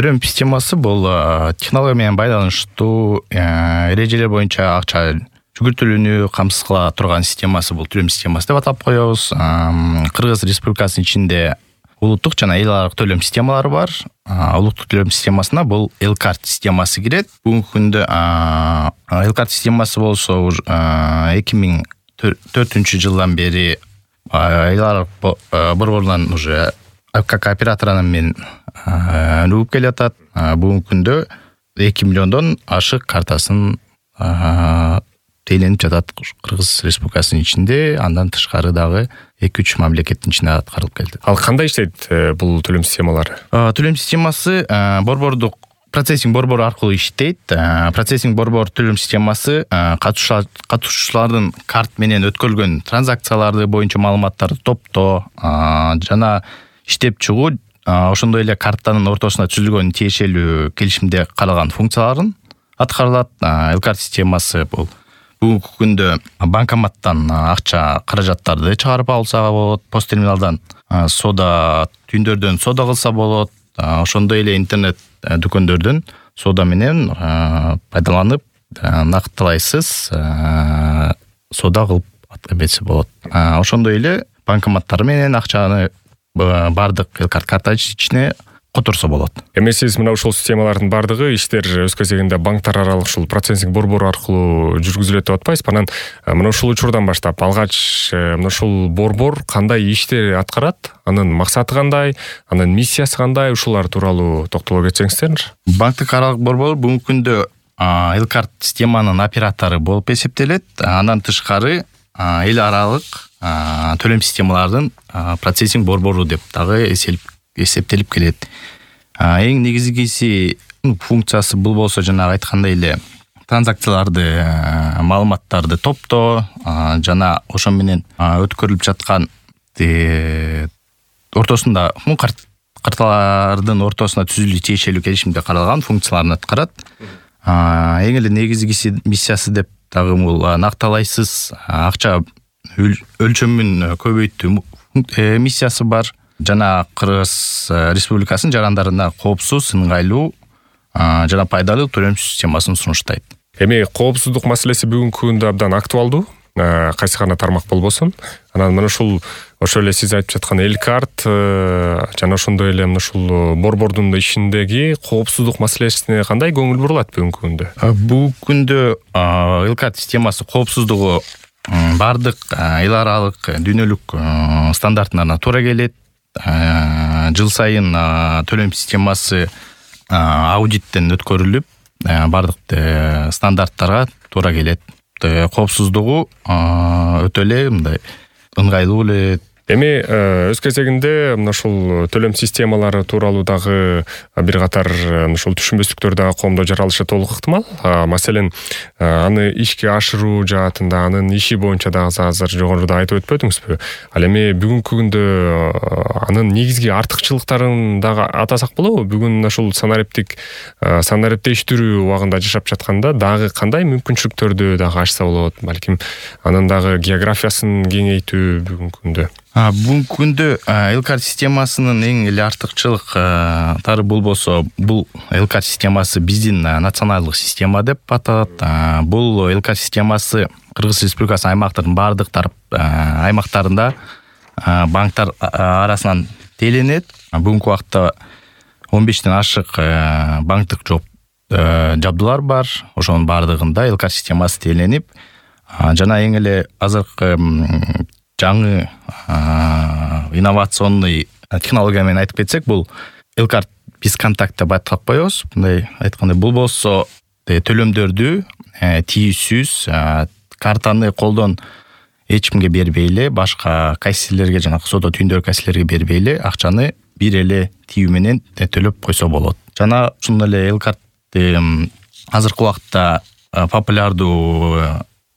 Төлөм системасы бул технология менен байланыштуу эрежелер боюнча акча жүгүртүлүүнү камсыз кыла турган системасы бул төлөм системасы деп атап коебуз. Кыргыз Республикасынын ичинде улуттук жана эл аралык төлөм системалары бар. Улуттук төлөм системасына бул Элкарт системасы кирет. Бүгүнкү күндө Элкарт системасы болсо 2004-жылдан бери эл аралык борборунан уже как операторунан мен өнүгүп келатат. Бүгүнкү күндө 2 миллиондон ашык картасын тейленип жатат Кыргыз Республикасынын ичинде, андан тышкары дагы 2-3 мамлекеттин ичинде аткарылып келди. Ал кандай иштейт бул төлөм системалары? Төлөм системасы борбордук процессинг борбору аркылуу иштейт. Процессинг борбор төлөм системасы катышуучулардын карт менен өткөрүлгөн транзакцияларды боюнча маалыматтарды топтоо жана иштеп чыгуу, ошондой эле картанын ортосуна түзүлгөн тиешелүү келишимде каралган функцияларын аткарылат. Элкарт системасы бул бүгүнкү күндө банкоматтан акча каражаттарды чыгарып алса болот, пост терминалдан соода түйүндөрдөн соода кылса болот, ошондой эле интернет дүкөндөрдөн соода менен пайдаланып нактылайсыз соода кылып эметсе болот. Ошондой эле банкоматтар менен акчаны бардык Элкарт карта ичине которсо болот. Эми сиз мына ушул системалардын бардыгы иштер өз кезегинде банктар аралык ушул процессинг борбору аркылуу жүргүзүлөт деп атпайсызбы? Анан мына ушул учурдан баштап алгач мына ушул борбор кандай иштер аткарат? Анын максаты кандай? Анын миссиясы кандай? Ушулар тууралуу токтоло кетсеңиздер. Банктык аралык борбор бүгүнкү күндө Элкарт системанын оператору болуп эсептелет. Андан тышкары эл аралык төлөм системаларынын процессинг борбору деп дагы эсептелип келет. Эң негизгиси функциясы бул болсо жанагы айткандай эле транзакцияларды, маалыматтарды топтоо жана ошо менен өткөрүлүп жаткан ортосунда карталардын ортосуна түзүлүү тиешелүү келишимде каралган функцияларын аткарат. Эң эле негизгиси миссиясы деп дагы бул накталайсыз акча өлчөмүн көбөйтүү миссиясы бар. Жана Кыргыз Республикасынын жарандарына коопсуз, ыңгайлуу жана пайдалуу төлөм системасын сунуштайт. Эми коопсуздук маселеси бүгүнкү күндө абдан актуалдуу, кайсы гана тармак болбосун. Анан мына ушул ошол эле сиз айтып жаткан Элкарт жана ошондой эле мына ушул борбордун ишиндеги коопсуздук маселесине кандай көңүл бурулат бүгүнкү күндө? Бүгүнкү күндө Элкарт системасы коопсуздугу бардык эл аралык дүйнөлүк стандартына туура келет. Жыл сайын төлөм системасы аудиттен өткөрүлүп, бардык стандарттарга туура келет. Коопсуздугу өтө эле мындай ыңгайлуу эле. Эми өз кезегинде мына ушул төлөм системалары тууралуу дагы бир катар ушул түшүнбөстүктөр дагы коомдо жаралышы толук ыктымал. Маселен, аны ишке ашыруу жаатында, анын иши боюнча дагы азыр жогоруда айтып өтпөдүңүзбү? Ал эми бүгүнкү күндө анын негизги артыкчылыктарын дагы атасак болобу? Бүгүн ушул санариптештирүү убагында жашап жатканда дагы кандай мүмкүнчүлүктөрдү дагы ачса болот? Балким анын дагы географиясын кеңейтүү бүгүнкү күндө. Бүгүнкү күндө Элкарт системасынын эң эле артыкчылыктары бул болсо, бул Элкарт системасы биздин националдык система деп аталат. Бул Элкарт системасы Кыргыз Республикасынын аймактардын бардык аймактарында банктар арасынан тейлениет. Бүгүнкү убакта 15ден ашык банктык жабдуулар бар. Ошонун бардыгында Элкарт системасы тейленип, жана эң эле азыркы жаңы инновационный технология менен айтып кетсек, бул Элкарт бесконтакт деп атап коебуз. Мындай айтканда, бул болсо төлөмдөрдү тийүүсүз, картаны колдон эч кимге бербей эле, башка кассирлерге жана соода түйүндөр кассирлерге бербей эле акчаны бир эле тиүү менен төлөп койсо болот. Жана ушундай эле Элкарт азыркы убакта популярдуу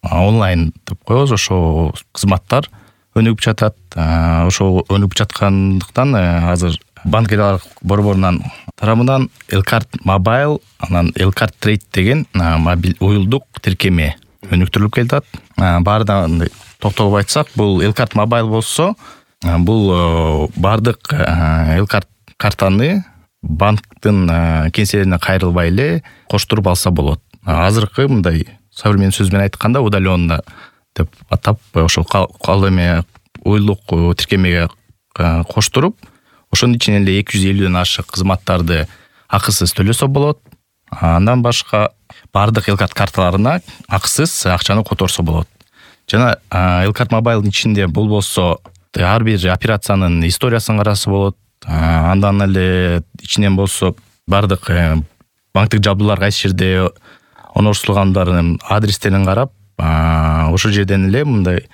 онлайн деп коебуз, ошо кызматтар өнүгүп жатат. Ошо өнүгүп жаткандыктан азыр банкалар борборунан тарабынан Элкарт Mobile, анан Элкарт Trade деген мобил уюлдук тиркеме өнүктүрүлүп келатат. Баарынан токтолуп айтсак, бул Элкарт Mobile болсо, бул бардык Элкарт картаны банктын кеңселерине кайрылбай эле коштуруп алса болот. Азыркы мындай современный сөз менен айтканда удаленно деп атап ошол кал эме уюлдук тиркемеге коштуруп, ошонун ичинен эле 250ден ашык кызматтарды акысыз төлөсө болот. Андан башка бардык Элкарт карталарына акысыз акчаны которсо болот. Жана Элкарт мобайлдын ичинде болбосо ар бир операциянын историясын караса болот. Андан эле ичинен болсо бардык банктык жабдуулар кайсы жерде орноштурулгандарын адрестерин карап, ошол жерден эле мындай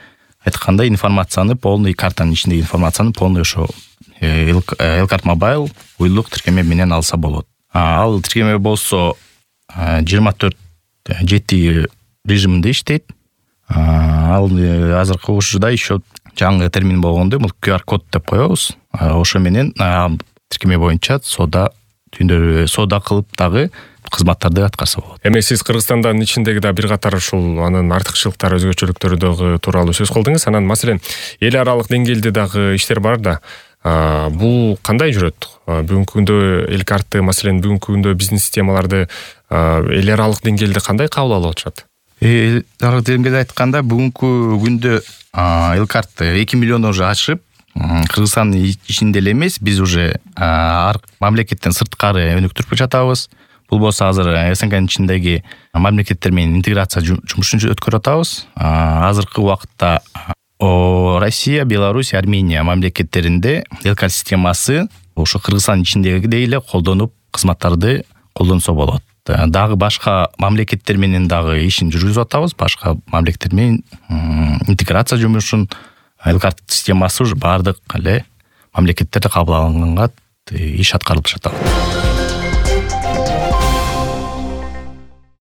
айтканда информацияны полный, картанын ичиндеги информацияны полный ошо Элкарт мобайл уюлдук тиркеме менен алса болот. Ал тиркеме болсо 24/7 режиминде иштейт. Ал азыркы учурда еще жаңы термин болгондо бул QR код деп коебуз. Ошо менен тиркеме боюнча соода кылып дагы кызматтарды аткарса болот. Эми сиз Кыргызстандын ичиндеги да бир катар ушул анын артыкчылыктары, өзгөчөлүктөрү дагы тууралуу сөз кылдыңыз. Анан маселен эл аралык деңгээлде дагы иштер бар да. Бул кандай жүрөт? Бүгүнкү күндө Элкартты, маселен бүгүнкү күндө биздин системаларды эл аралык деңгээлде кандай кабыл алып атышат? Эл аралык деңгээлде айтканда бүгүнкү күндө Элкарт 2 миллиондон уже ашып, Кыргызстандын ичинде эле эмес, биз уже ар мамлекеттен сырткары өнүктүрүп жатабыз. Бул болсо азыр СНГнын ичиндеги мамлекеттер менен интеграция жумушун өткөрүп атабыз. Азыркы убакытта Россия, Беларусь, Армения мамлекеттеринде Элкарт системасы ошо Кыргызстандын ичиндегидей эле колдонуп, кызматтарды колдонсо болот. Дагы башка мамлекеттер менен дагы ишин жүргүзүп атабыз. Башка мамлекеттер менен интеграция жумушун Элкарт системасы уже бардык эле мамлекеттерде кабыл алынганга иш аткарылып жатат.